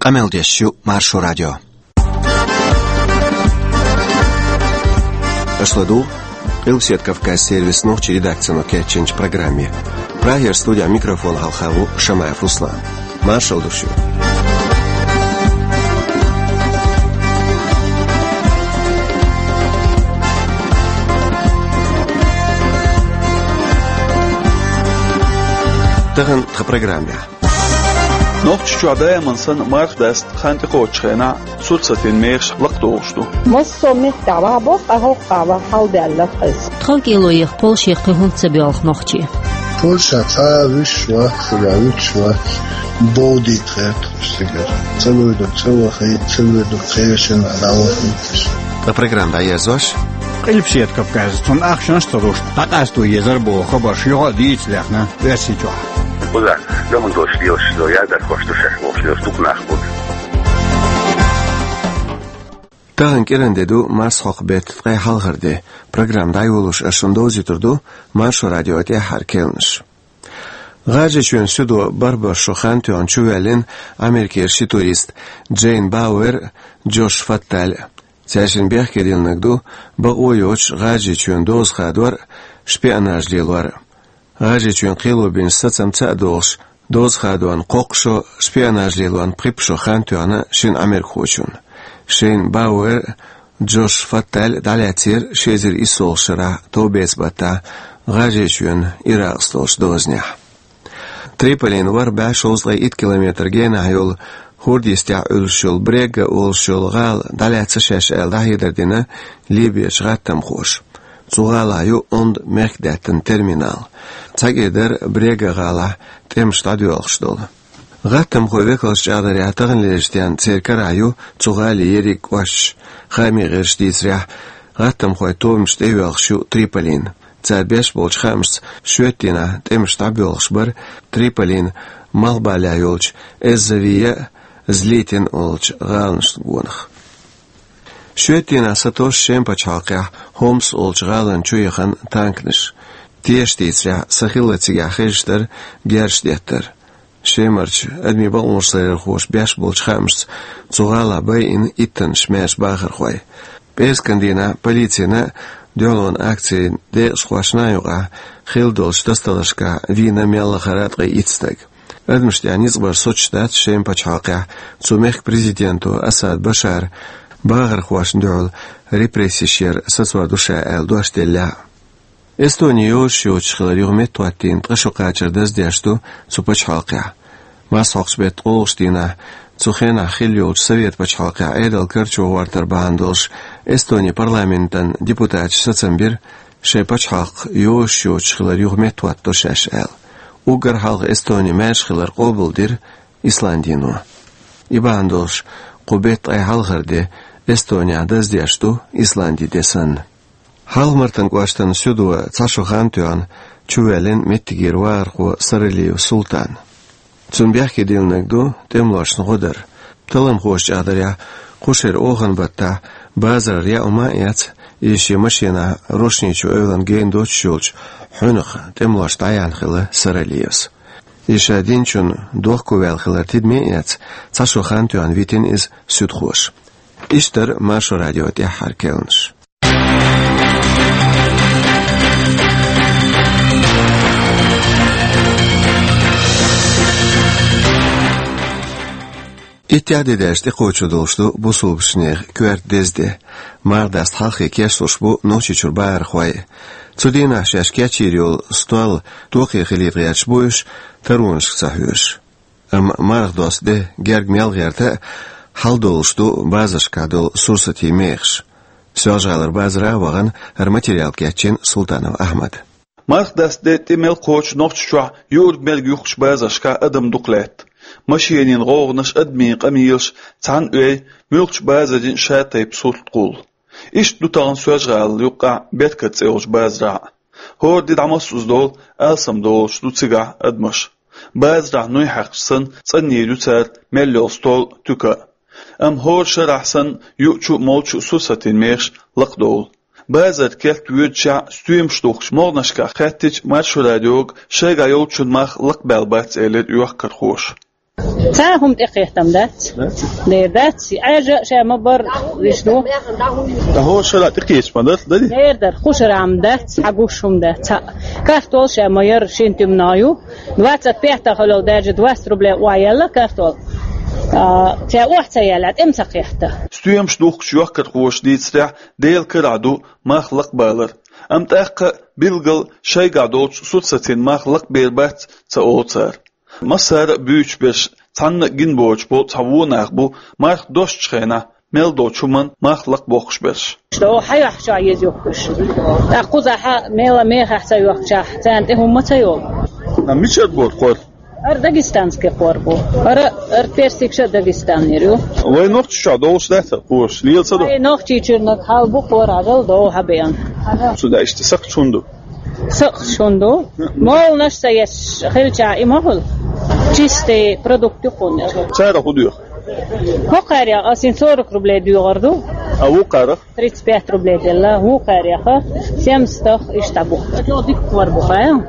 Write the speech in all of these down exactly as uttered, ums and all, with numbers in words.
Къамел деш ю Маршо радио. Аша ладугӀу Къилбседа Кавказан сервисан нохчийн редакцино кечйинчу программе. Прагера студехь микрофон хьалха ву Шамаев Руслан. Маршалла ду шуьга. Тахана тхан программехь. Нохчийчохь даиман санна марха даста хан тӀекхочучу хенахь сурсатийн мехаш лакхадолуш ду. Массо а меттехь ваха боху, ткъа хӀокху агӀор хьалдаьлла иза. Тхов кӀело еха Польшех кхин хӀунда ца боьлху нохчий? Польша цхьа а вуьсуш вац, цигахь вуьтуш вац, бовдийта гӀерта уьш цигара. Ца вуьйр ду ца вахийта, ца вуьйр ду кхечанхьа дӀавахийташ. Ткъа программа дӀаерзош, Къилбседа Кавказехь цунна ахчанаш а ца луш, дӀакъасто езара боху хабарш юха а дийца лехна Оьрсийчохь. Кхузахь гаман дош лелаш ду, ядар хӀош ду шаьш бохуш лелаш дукха нах бу. Тахана кӀиран де ду, марсхьокху беттан ткъе хьалхара де. Программа дӀайолош ас шуна довзуьйтур ду Маршо радион тӀаьххьара керланаш. ГӀажарийчоьнан суьдо бархӀ шо хан тоьхна чувоьллина Америкера ши турист, Джейн Бауэр а, Джош Фатталь а. Цаьршинна бехке диллинарг ду бакъо йоцуш ГӀажарийчоьнан доза хадор а, шпионаж лелор а. ГӀажарийчоьнан кхело бинчу сацамца а догӀуш, доза хадорна кхоккха шо, шпионаж лелорна пхи-пхи шо хан тоьхна шина Ӏамеркахочунна. Шайна Бауэр а, Джош Фатталь а дӀалаьцнера ши эзар иссолгӀачу шарахь товбеца баттахь ГӀажарийчоьнан Иракъца долчу дозанехь. Триполина ворхӀ бӀе шовзткъе итт километр генахь йолу, хӀорда йистехь Ӏуьллуш йолу Брега олуш йолу гӀала дӀалаьцна шаьш аьлла дӀахьедар дина Ливерчу гӀаттамхоша. Цу гӀалахь ю онда мехкдаьттан терминал. Цхьа кӀира дара Брега гӀалахь тӀемаш дӀадоьлхуш долу. ГӀаттамхойн векалша чӀагӀдарехь, таханлерчу денна церан карахь ю цу гӀалин ерриг кӀошташ. Хаамийн гӀирсаша дийцарехь, гӀаттамхойн тобанаш тӀейоьлхуш ю Триполина. Цара беш болчу хаамашца, шоьтан дийнахь тӀемаш дӀабоьлхуш бара Триполин малхбалехь йолчу Эззавия а, Злитин а олучу гӀаланашна гонах. Шоьтан дийнахь сатосу Шеман пачхьалкхехь Хомс олучу гӀалана чу яхана танканаш. Тешаша дийцарехь, са хилла цигахь хезаш дара герзаш деттар. Шемарчу адамийн бакъонаш ларъярхоша беш болчу хаамашца, цу гӀалахь байина иттаннаш маьрша бахархой. ПӀераскан дийнахь полицина а, дуьхьалонан акцин декъашхошна а юкъахь хилла долчу тасадаларшкахь вийна мел лахара ткъе итт стаг. Адамашна тӀехь ницкъ бар соцуш дац Шеман пачхьалкхехь цу мехкан президенто Асад Башара бахархошна дуьхьал репрессеш яр сацор ду ша аьлла дош деллехь а. Эстони йозуш йоцуш хилар юха меттахӀоттийна ткъа шо кхачар даздеш ду цу пачхьалкхехь. Марсхьокхучу беттан ткъолгӀачу дийнахь, цу хенахь хилла йолчу Советан пачхьалкхехь Ӏедал карчо гӀортар бахьана долуш, Эстонин парламентан депутаташа сацам бира, шайн пачхьалкх йозуш йоцуш хилар юха меттахӀоттадо шаьш аьлла. Уггар хьалха Эстони маьрша хилар къобалдира Исландино. И бахьана долуш, кху беттан ткъе хьалхара де Эстонехь даздеш ду Исландин де санна. Хьалха-Мартан кӀоштан суьдо цхьа шо хан тоьхна чувоьллина меттигера вахархо Саралиев Султан. Цунна бехке диллинарг ду тӀемалошна гӀо дар. Талламхоша чӀагӀдарехь, кху шеран оханан баттахь базарара яа хӀума а эцна, иза шен машенахь рушни чу эвлана гена доцуш йолчу хьуьнах тӀемалошна дӀаяьхьна хилла Саралиевс. Иза ша динчунна дохковаьлла хилар тидаме а эцна, цхьа шо хан тоьхна витина иза суьдхоша. Иштта дара Маршо радион тӀаьххьара керланаш. Иттех де даьлча тӀекхочур долуш ду бусалбачу нехан коьрта деза де. Марха даста хьалххе кечлуш бу Нохчийчуьра бахархой. Цу дийнахь шаьш кечйийр йолу стол тохе хилийта гӀерташ бу уьш, таронашка ца хьоьжуш. Амма марха доста де герга мел гӀерта а, хьалдолуш ду базаршкахь долу сурсатийн мехаш. Соьлжа-ГӀалара базара а вахана, хӀара материал кечйина Султанов Ахьмада. Марха даста де тӀе мел кхочу Нохчийчохь юург-мерг юхкучу базаршкахь адам дукха лаьтта. Машенийн гӀовгӀанаш, адамийн къамелаш, цхьана оьй, муьлххачу базарийн ша тайпа сурт кхуллу. Иштта ду тахана Соьлжа-ГӀалин юккъехь Беркат цӀе йолчу базарахь а. ХӀора де дӀамассаза долу, алсам долуш ду цигахь адамаш. Базарахь нуй хьаькхча санна, цӀанйийр ю цара мел йолу стол а, туька а. Амма хӀора шарахь санна, юучу а, молчу а сурсатийн мехаш лакхадовлу. Базар керта воьдучехь, стоьмаш духкучу могӀанашкахь хаьттича Маршо радиога, шайгахь йолчун мах лакхабаьлла бац, элира йохкархоша. Цхьа хӀума тӀекхеттам дац. Дац? Дера дац. Ӏаьржа а ша ма бар, виш ду. Ткъа хӀора шарахь тӀекхеча ма дар, дарий? Дера дар, кху шарахь ма дац, хьагуш хӀума дац. Цхьа картол ша ма яр, шин туьманах ю. Двадцать пять хилла даже двадцать рублей охьаяьлла картол. А, цхьа охьа ца яьлла, тӀем ца кхетта. Стоьмаш духкучу йохкархоша дийцарехь, Делан карахь ду мах лакхабалар. Амма тӀаккха билггал шайгахь долчу сурсатийн мах лакхабер бац ца олу цара. Массара а буьйцуш берш цхьанна а гина боцуш болу цхьа вон нах бу, марха достучу хенахь мел долчу хӀуманна мах лакхабоккхуш берш. Ша хьан йохкуш еза йохкуш? ТӀаккха кхузахь мела мехахь ца йохкучахь, царна тӀе хӀумма ца йолу. А мичара бора кхор? Ара дагестанский кхор бу. Ара, ара персикша Дагестанера ю. Вай нохчи чохь долуш дац кхораш, лела ца ду? Вай нохчи чуьрнаг хьал бу кхор, хьажал догӀу хьан беана. Цу даьшта сакхчу хӀун ду? Сакхчу хӀун ду? Молнаш ца еш хилча и ма хуьлу. Чистый продукт ю кхунна. Цара хӀун доьху? ХӀокхарех ас сорок рублей доьгӀур ду. А вукхарах? Тридцать пять рублей делла, вукхареха, семьдесят иштта бу. Чо дика кхор бу, хаа?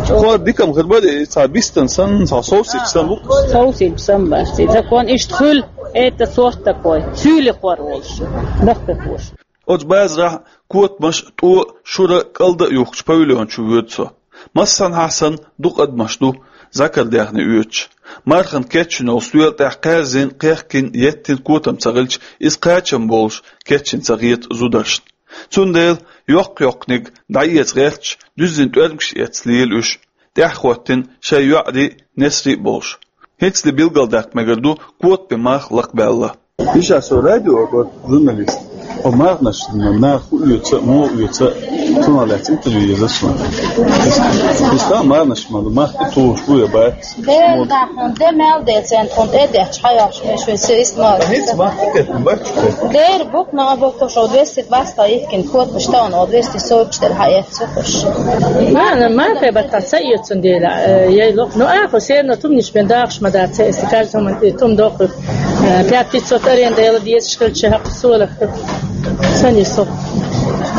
Кхор дикам хир бац, цхьа бистан санна, цхьа совсич санна бу. Совсич санна бац. Закон иштта хуьлу, это сорт такой. Суьйли кхор волуш. Дахка кхош. Оцу базарахь котамаш, тӀо, шура, кӀалда а юхкучу павильон чу воьду со. Массанхьа санна дукха адамаш ду, закар даьхни оьцуш. Мархана кечйина йолу стоьла тӀехь кхаьрзина, кхехкина, еттина котам ца хилча, иза кхачам болуш кечйина ца хета зударшна. Цундела йоккха-йоккханиг дӀаэца гӀерташ, дуьззина тӀоьрмигаш эцна лела уьш, тӀаьхьахӀоттийна шайн йоӀарий а, несарий а болуш. ХӀинцале билгалдаккха мегар ду, котамийн мах лакхабаьлла. Иштта со радио гӀо, журналист. О марханаш, нах хӀун оьцу, муха оьцу, цунах лаьцна интервью еза суна. Иштта марханаш ма ду, мах тӀе тухуш бу я бац? Дера дахьана, де мел де центр хӀун тӀе детташ, хьан йохуш меш вай се ист ма. ХӀинца мах тӀе кхетта бац? Дера букна а боккхуш, о двести двадцать йихкина котамаш таун, о двести сорок четыре хьан эццу хуш. Ма, ма, хе баттахь ца эцун дела, э, яй лох. Ну, а, хо серна тумниш бен дахуш ма дац, эсти каждый хӀуман тӀе тум дохур. Э, пять пятьсот аренда яла дезаш хилча хьакха солах. Сан и со.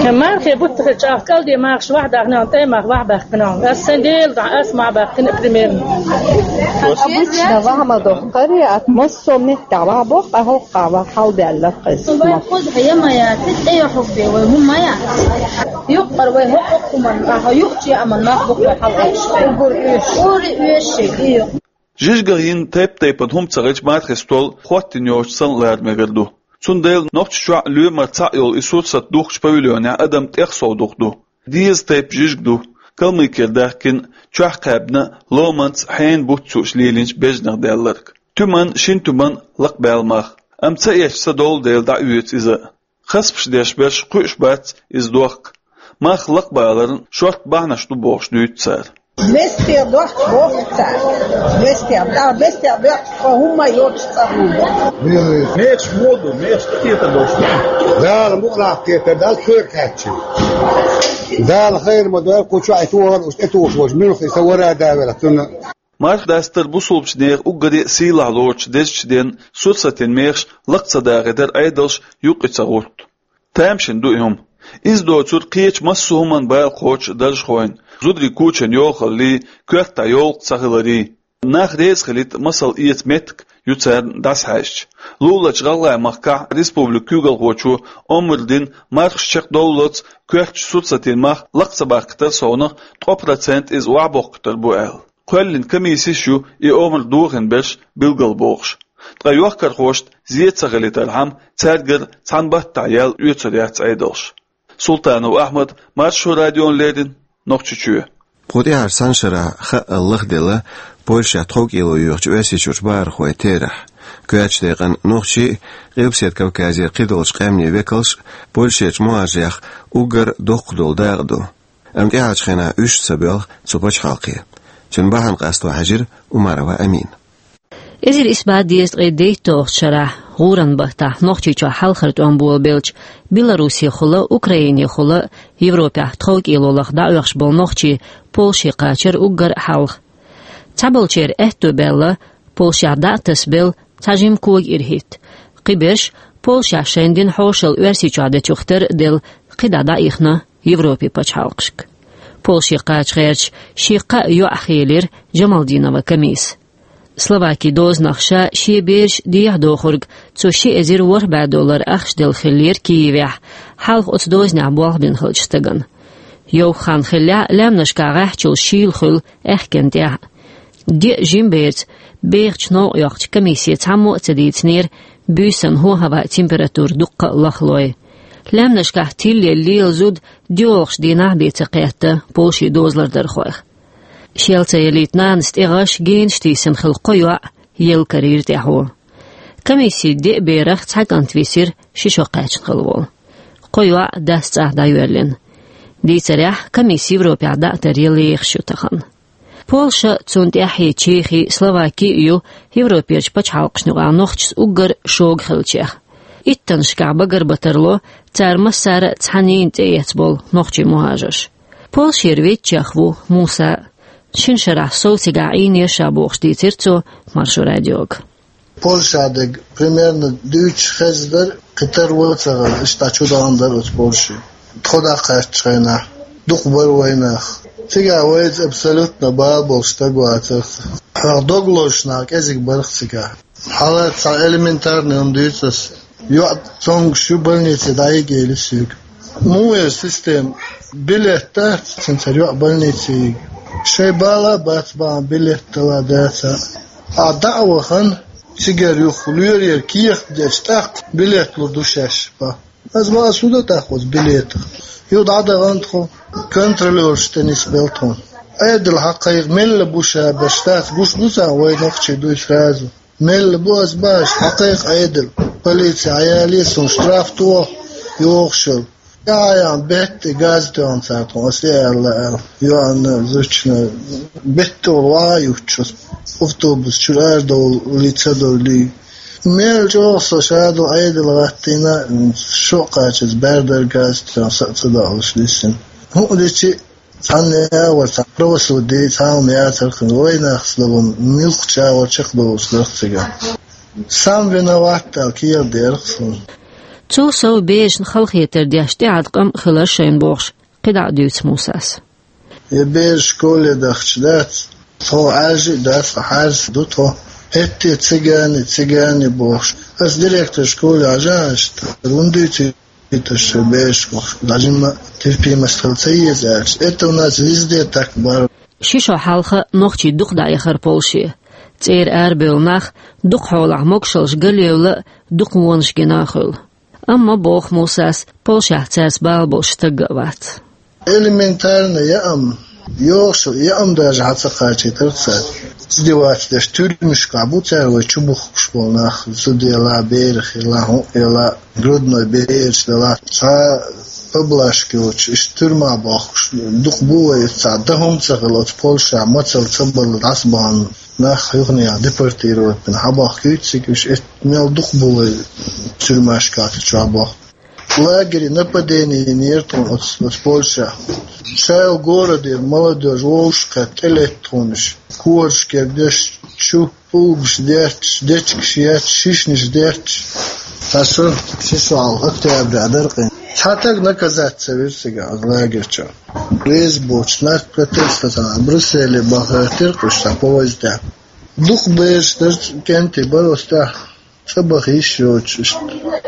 Э, мархе бутта хилча, ах, кӀалде махаш вахьа дахна, тӀе мах вахьа бахкана. Ас сан дела да, ас ма бахкана, примерно. Обычно вахьа ма дохкари, а массо меттехь вахьа боху, а хӀокху вахьа хьалбаьлла кхайса. Вай кхузахь я ма яц, тӀе йохуш бе вай хӀума ма яц. Юккъара вай хӀокху хӀуманна, ахьа юккъачу яаман мах бу вай хьалаэцаш. Угур оьшуш. Ури оьшуш, и ю. Жижигах йина тайп-тайпана хӀума ца хилча, мархин стол хӀоттийна йоцуш санна лара мегар ду. Цундела Нохчийчохь лоьмар цхьаъ йолу и сурсат духкучу павильонехь адам тӀех сов дукха ду. Деза тайпа жижиг ду, Калмыкера даьхкина, чохь кхаьбна, ломанца, хьенан буц йууш лелийначу бежанах даьлларг. Туьман, шина туьман лакхабаьлла мах. Амма ца эцча ца довла дела дӀаоьцу иза. Хасбаш деш берш кхуьуш бац иза дохка. Мах лакхабаларна шортта бахьанаш ду бохуш дуьйцу цара. Бестер дохчу боху цара. Бестер, да, бестер дохчу, тхо хӀумма йоцуш цӀа хӀума. Мехаш воду, мехаш тӀететар долуш. Дала мукъалахь кхетар, Дала кхоьга кхаьччи. Дала хайр ма дойла, кху чохь и тохар уьш тӀетухуш волчу муьлхха и сан вара а давелла, цунна. Марха дастар бусулбачу нехан уггаре а сийлахь лоцучу дезачу денна сурсатийн мехаш лакха ца дахийтар Ӏедалш юккъе ца гӀутту. Тамашийна ду и хӀума. Иза доцург кхечу массо а хӀуманна бала кхочу даржхойн, зударийн кучан йохаллий, коьртахь йовлакх ца хиларий. Нах реза хилийта масал эца меттиг ю царна дӀасахьаьжча. Лулачу ГӀалгӀайн махкахь республикан куьйгалхочо омра дина, мархаш чекхдовллалц коьртачу сурсатийн мах лакха ца бахкийтар совнах ткъа процент иза охьабоккхуьйтур бу аьлла. Кхоьллина комиссеш ю и омра дохийна берш билгалбохуш. Ткъа йохкархошна зен ца хилийтархьама, цаьргара цхьана баттахь яьлла оьцур яц Ӏедалш. Султанов Ахьмад, Маршо радиона леррина, Нохчийчоь. Кху тӀаьхьарчу цхьана шарахь хаъал лахделла Польшехь тховкӀело йоьхучу Оьрсийчуьрчу бахархойн терахь. Коьртачу декъана нохчий а, Къилбаседа Кавказера кхидолчу къаьмнийн векалш а Польшерчу мухӀажарех уггар доккха долу дакъа ду. Амма тӀаьхьарчу хенахь уьш а ца боьлху цу пачхьалкхе. Цуьнан бахьана къасто хьаьжира Умарова Амина. Эзар исс бӀе дезткъе дейтталгӀачу шарахь, гӀуран баттахь, Нохчийчохь хьалхара тӀом болабелча, Беларусехула, Украинехула, Европехь тховкӀело лаха дӀаоьхуш болу нохчий Польше кхачара уггар а хьалха. Цхьаболчеран аьтто баьлла, Польшехь дӀа а тасабелла, цхьа жима кога ирахӀитта. Кхиберш Польшехь шайна дина хьошалла Оьрсийчохь дечух тера а делла, кхидӀа дӀаихна Европин пачхьалкхашка. Польше кхача гӀерташ шен кхаа йоӀ хилира Джамалдинова Камис. Словаки дозанах ша шен бераш дехьа дохург цо ши эзар ворхӀ бӀе доллар ахча делла хиллера Киевехь, хьалха оцу дозанехь болх бина хиллачу стагана. Йовха хан хиллехь, лаьмнашкахь гӀаьхчул шийла хуьлу аьхкенна тӀехь. Деа жима берца бехачу новкъа йоккхучу комиссе цхьаммо а ца дийцинера буьйсанна хӀо-хӀаваан температура дуккха а лахлой. Лаьмнашкахь тилла лела зуда доьалгӀачу дийнахь бен ца кхетта Польшин дозалардархойх. Шел ца ялийта нанас тӀе гӀаш, генаш тийсина хилла кхо йоӀ елла карийра тӀаьхьо. Комиссин деа берах цхьа кӀант висира ши шо кхаьчна хилла волу. Кхо йоӀ дас цӀахь дӀайоьллина. Дийцарехь, комисса Европехь дӀа а тара лехаш ю тахана. Польша, цунна тӀаьхье Чехи, Словаки а ю Европерчу пачхьалкхашна юкъахь нохчашца уггар шога хиллачех. Иттаннашкахь багарбатарло цара массара а цхьаннена цӀе эцна болу нохчийн мухӀажарш. Польшера веъчех ву Муса. Шина шарахь сов цигахь Ӏийнера ша бохуш дийцира цо Маршо радиога. Польша дерг примерно дуьйцуш хезна дара, кхин тара вон ца хезна, иштта чу дахана дара оцу Польше. Тхо дӀакхаьччу хенахь дукха бара вайнах. Цигахь вайца абсолютно бала болуш стаг вацара. Хьох дог лозуш нах кӀезиг барх цигахь. Хьала цхьа элементарный хӀума дуьйцу ас. ЙоӀ цомгуш ю, больнице дӀайига элира соьга. Муха веза система? Билет дац, цуьнан цара йоӀ больнице йига. Шайн бала а бац бахьана билет дала а, дац а. Ахьа дӀа а вахана, цигара юха лоьрера кехат дечу, тӀаккха билет лур ду шаьш, бах. Ас бах, ас хӀун дан тӀаккха оцу билетах? Юха дӀадахана тхо, контролёрша тӀе нисбелла тхуна. Ӏедал хьакхайкха, мелла бу ша берш, дац, гуш бу царна вай нохчий дуй сразу. Мелла бу ас бах, хьакхайкха Ӏедал. Полици хьаялийра суна, штраф тоху, йохуш йолу. ТӀаьхьа яхана бетта газ тоьхна цара тхуна, ас и аьлла, аьлла. ЙоӀана, зудчунна бетта волу ваха а юттуш, автобус чуьра арадовлий, ца довлий. Мел чӀогӀа со ша долу Ӏедал гӀаттийна, шо а кхачаза баьрдар газ тоьхна, са а ца доалуш лиссина. ХӀуъа дичи, цхьанна а вара, цхьа правосудие, цхьа а хӀума яцара хин, вайнах ца долун, муьлххача а вара чекхдовлуш дара цигахь. Сам виноват аьлла кехат дерах суна. Цул сов берашна халахетар деш тӀеӀаткъам а хилар шайна бохуш, кхидӀа а дуьйцу Мусас. Я бераш школе дахча дац, тхо Ӏаьржа а дац, хьаьрс ду тхо. ХӀетте цигане, цигане бохуш. Ас директор школе хьажа аьлча, хӀунда дуьйцу Иташ берашка дӀажимма терпимость хила ца еза аьлча, это у нас везде так бар. Ши шо хьалха нохчий дукха дӀаяхара Польше. ЦӀера арабевлла нах дукха хьолахь могушаллаш галъевлла а, дукха вонаш гина а хуьлу. Амма, боху Мусас, Польшехь цаьрца бала болуш стаг а вац. Элементарно яам, йохуш яам даже хьан ца кхачийтарх цара. Издевательство деш, тюрьмашкахь бу цара вай чубухкуш болу нах, зуда елахь, берах елахь, хӀуъа елахь, грудной бераш делахь, цхьа поблажка йоцуш, иштта тюрьмахь бохкуш дукха бу вай, цхьа дан хӀума ца хилла оцу Польшахь, мацалла ца балла дӀасабахана нах юханехьа депортировать бина, хьабахкуьйту цига уьш, эт-, мел дукха бу вай тюрьмашкахь цу чохь бохку. Лагере нападение йинера тхуна оцу, оцу Польшахь. Шайл городера молодёжь вовшахкхетта тӀелетта тхуна уьш. Корашкара деш чу, пулгаш детташ, дечигаш етташ, шишнаш детташ. Сан шо ши шо хьалха октября дара къин. Цхьа таг наказать ца вира цигахь оцу лагерчохь. Реза боцуш, наркотестатана Брюсселе баха хӀоьттира уьш цхьа поездехь. Дукха бераш дара, кӀентий бара оцу тӀехь. ЦӀа баха йиш йоцуш,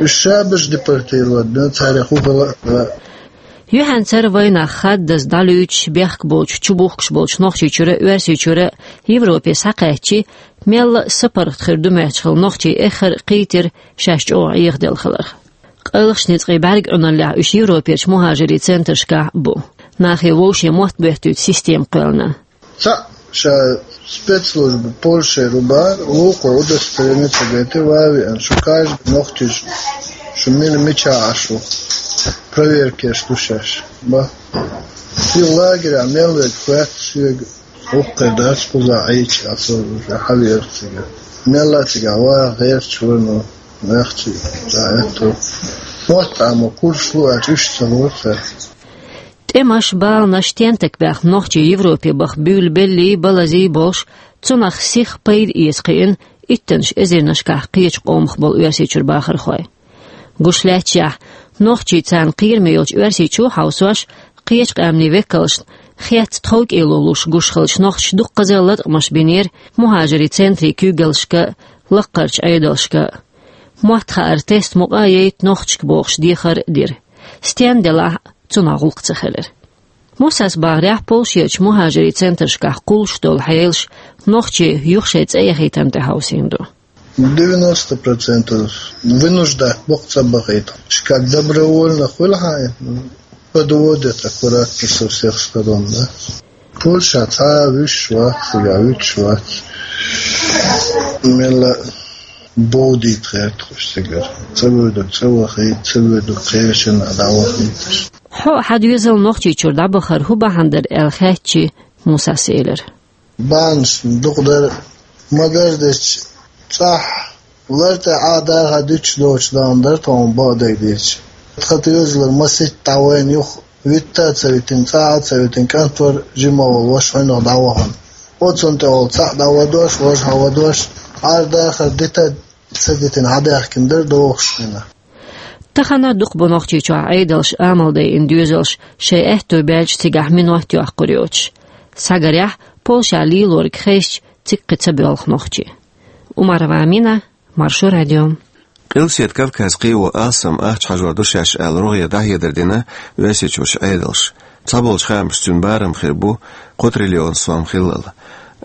уьш шабаш депортировать бина, царех хӀун хила а. Юьхьанцара вайнах хаддаза дӀалуьйчуш, бехк болчу, чубухкуш болчу Нохчийчуьра а, Оьрсийчуьра а Европе схьакхаьччи, мелла а сапаргӀат хир ду моьттуш хилла нохчий эххар а кхийтира шаьш чӀогӀа Ӏехаделла хиларх. Къайлахчу ницкъийн бӀаьрг Ӏуьналлехь уьш Европерчу мухӀажирийн центрашкахь а бу. Нахе вовшийн мотт боьттуьйту система кхоьллина. Цхьаъ ша спецслужба Польшера ву бахара, вукхо удостоверение ца гайтира, ван а веана, шу каждый нохчи, шу мила мичахь Ӏаш ву, проверка еш ду шаьш, бах. Шен лагерехь мел верг хоьтту шега, вукхара дац кхузахь Ӏийча, аса уже хьаверг цигахь. Мелла а цигахь ваха гӀерташ вара, но ваьхча, ца аьтту. Мотт Ӏамо курс лу аьлча, уьш ца лора цара. ТӀемаш, баланаш, тентак баьхна нохчий Европе баха буьйлабеллий, балазий болуш, цунах сиха пайда эца кхиъна иттаннаш эзарнашкахь кхечу къомах болу Оьрсийчуьра бахархой. Гуш лаьтташехь, нохчий царна кхераме йолчу Оьрсийчу хьовсош, кхечу къаьмнийн векалшна Хетта тховкӀело луш гуш хилча нохчаша дуккхаза латкъамаш бинера мухӀажарийн центрийн куьйгаллашка а, лакхарчу Ӏедалшка а. Мотт хаар теста мукъа а яйта нохчашка бохуш дехар а дира. Стенна делахь а, цунах гӀуллакх ца хилира. Мусас бахарехь, Польшерчу мухӀажарийн центрашкахь кхуллуш долу хьелаш нохчийн юха шайн цӀе яхийтарна тӀехь хьовсийна ду. Девяносто процентов вынуждать боккха ца бахийта. Как добровольно хуьлу хьайн, подводят аккуратно со всех сторон, да. Польша цхьа а вуьсуш вац, цигахь вуьтуш вац. Мелла бовдийта гӀертахуш цигара. Ца воьду, ца вахийта, ца воьду, кхечанхьа дӀавахийташ. Хьо а хьан доьзал Нохчийчуьра дӀабахар хӀун бахьана дара аьлла хаьттича, Мусас элира: Бахьанаш дукха дара, магар дечу цӀахь лар тӀе Ӏа даха дуьтуш доцуш дан дара тхуна бакъдерг дийцича. Тхан доьзалара масийтта дӀавайна юха витта а ца витина, цӀа а ца витина, кӀант вара жима волу ваша хьуьнах дӀавахана. Оцунна тӀехула цхьаъ дӀавадош, важа хьавадош, Ӏар дахар дита а ца дитина хьадаьхкина дара дохуш хина. Тахана дукха бу Нохчийчохь Ӏедалша амал дайина доьзалш шайн аьтто баьлча цигахь минот йоккхур йоцуш. Схьагарехь, Польшехь лелориг хезча, цига кхин ца боьлху нохчий. Умарова Амина, Маршо радио. Къилбаседа Кавказ кхио алсам ахча хьажор ду шаьш аьлла рогӀера дӀахьедар дина Оьрсийчуьрчу Ӏедалша. Цхьаболчу хаамашца цуьнан барам хир бу кхо триллион сом хиллал.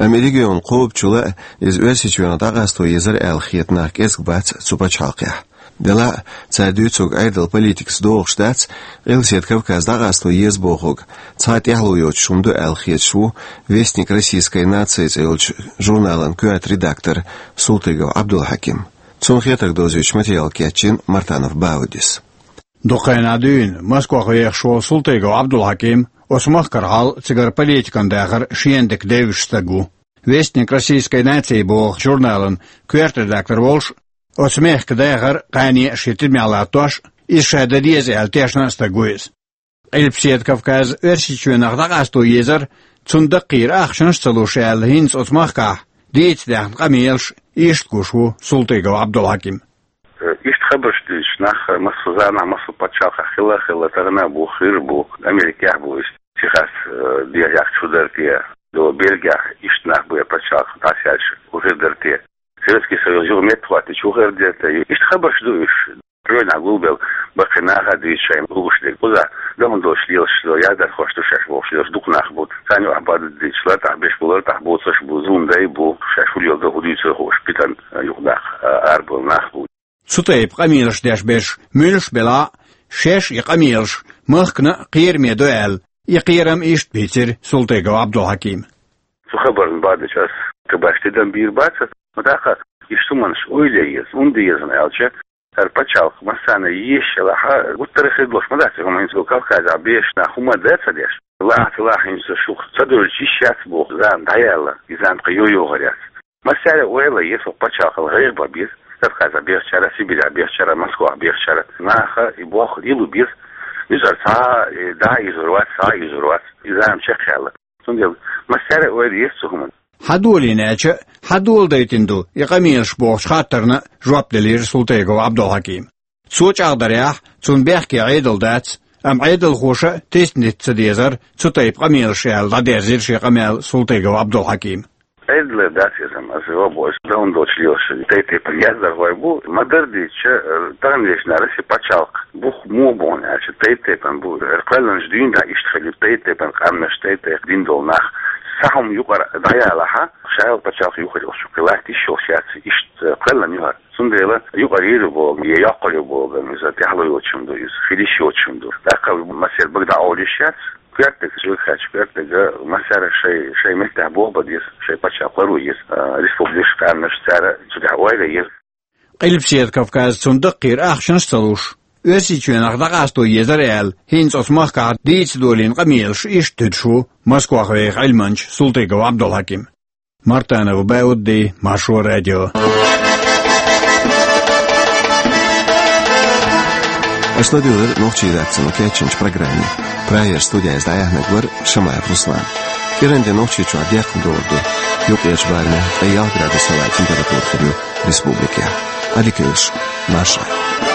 Амма и регион кхобучул а иза Оьрсийчоьнах дӀакъасто езара аьлла хета нах кӀезиг бац цу пачхьалкхехь. Делахь а, цара дуьйцург Ӏедалан политикаца догӀуш дац, Къилбаседа Кавказ дӀакъасто еза бохург цхьа а тӀаьхьало йоцуш хӀума ду аьлла хеташ ву «Вестник российской нации» цӀе йолчу журналан коьрта редактор Султыгов Ӏабдулхьаким. Цунна хетарг довзуьйтуш материал кечйина Мартанов Баудис. Дукха хенахь дуьйна Москвахь вехаш волу Султыгов Ӏабдулхьаким оцу махкара хьал, цигара политикан дахар шена дика девзаш стаг ву. «Вестник российской нации» боху журналан коьрта редактор волуш, оцу мехкан дахар, кхане а шен тидамехь латтош, иза ша дан деза аьлла тешна а стаг ву иза. Къилбаседа Кавказ Оьрсийчоьнах дӀакъасто езара, цунна даккхийра ахчанаш а ца луш аьлла, хӀинца оцу махкахь дийца даьхна къамелаш иштта гуш ву Султыгов Ӏабдулхьаким. Иштта хабарш дуьйцуш нах массо а заманахь, массо а пачхьалкхехь хилла а хилла, тахана а бу, хир а бу, Америкехь а бу, иштта Техас, э, дехьа чу дара те, до Бельгехь иштта нах бу, я пачхьалкх дӀасаьлча, хӀун хир дара те. Советский Союз юха меттахӀоттийча хӀун хир дара те. Иштта хабарш ду уьш. Тройнахь гулбелла баккхий нах а дуьйцу шайн лууш дерг. Кхузахь дан долуш лелаш, яздархош ду шаьш бохуш лелаш дукха нах бу. Царна юкъахь баддийцуш, лартӀахь беш бу, лартӀахь боцурш бу, зулам дай бу, шаьш хӀун леладо, хӀун дуьйцур хууш, питана юкъадаккха арабевлла нах бу. Цу тайпа къамелаш деш берш муьлш а белахь а, шаьш и къамелаш махкана а кхераме ду аьлла, и кхерам иштта бийцира Султыгов Ӏабдулхьакима. Цу хабарна баддича ас кхин башха тидам бийр бац, но тӀаккха иштта хӀуманаш ойла ян еза, хӀунда еза аьлча, хӀара пачхьалкх массарна езаш елахь а, гуттар а хир долуш ма дац и хӀума, хӀинца Кавказехь бехаш нах хӀума а ца деш. Лахь а ца лахь, хӀинца шух ца девлча йиш яц боху зама дӀаяьлла, и зама кхин йо-йогӀур яц. Массаьрга ойла ян еза, хӀокху пачхьалкхал гӀайгӀа бан беза, Кавказехь бехачара, Сибирехь бехачара, Москвахь бехачара, наха и болх лело беза. Нуьцкъала цхьа а, э, дӀа а юьзур вац, схьа а юьзур вац, и зама чекхъяьлла. Цундела массаьрга ойла еза цу хӀуманна. Хьан долийна аьлча а, хьан доладайтина ду и къамелаш бохучу хаттарна жоп делира Султыгов Ӏабдулхьакима. Цо чӀагӀдарехь, цунна бехке Ӏедал дац, амма Ӏедалхоша а тесна дита ца дезара цу тайпа къамелаш аьлла, дӀадерзира шен къамел Султыгов Ӏабдулхьакима. Ӏедалера дац иза, аса вабо аса дан долчу лелаш тайп-тайпана яздархой бу, ма-дарра дийцича, тахана вешнара Россин пачхьалкх бух муха бу аьлча, тайп-тайпана бу, хӀара кхоьллинчу дуьйна дӀа иштта хилла, тайп-тайпана къаьмнаш, тайп-тайпа дин долу нах. Цхьа хӀума юкъара дӀаялахь а, ша йолу пачхьалкх юхур йолуш ю, кхин латта йиш йолуш яц, иштта кхоьллина ю хӀара. Цундела юкъара йийр ю боху, я йоккхур ю боху, иза тӀаьхьало йоцуш хӀума ду иза, хила йиш йоцуш хӀума ду. ТӀаккха массеран бага дӀаолуш яц, коьртаниг, жуьгтачу коьртаниг, массара шайн, шайн меттехь болх бан деза, шайн пачхьалкх ларбан еза, а, республикаш, къаьмнаш, цара цу тӀехь ойла ян еза. Къилбаседа Кавказ, цунна даккхийра ахчанаш а ца луш, Оьрсийчоьнах дӀакъасто езара аьлла, хӀинца оцу махкахь дийца долийна къамелаш иштта туьдуш ву Москвахь веха Ӏилманча Султыгов Ӏабдулхьаким. Мартанов Баудди, Маршо радио. Аша ладуьйгӀира нохчийн редакцино кечйинчу программе. Прагера студехь иза дӀаяьхьнарг вара Шамаев Руслан. КӀиранде Нохчийчохь декхна догӀур ду. Юккъерчу барамехь ткъе ялх градус хӀаваан температура хир ю республикехь. Ӏадика йойла шун, марша Ӏойла.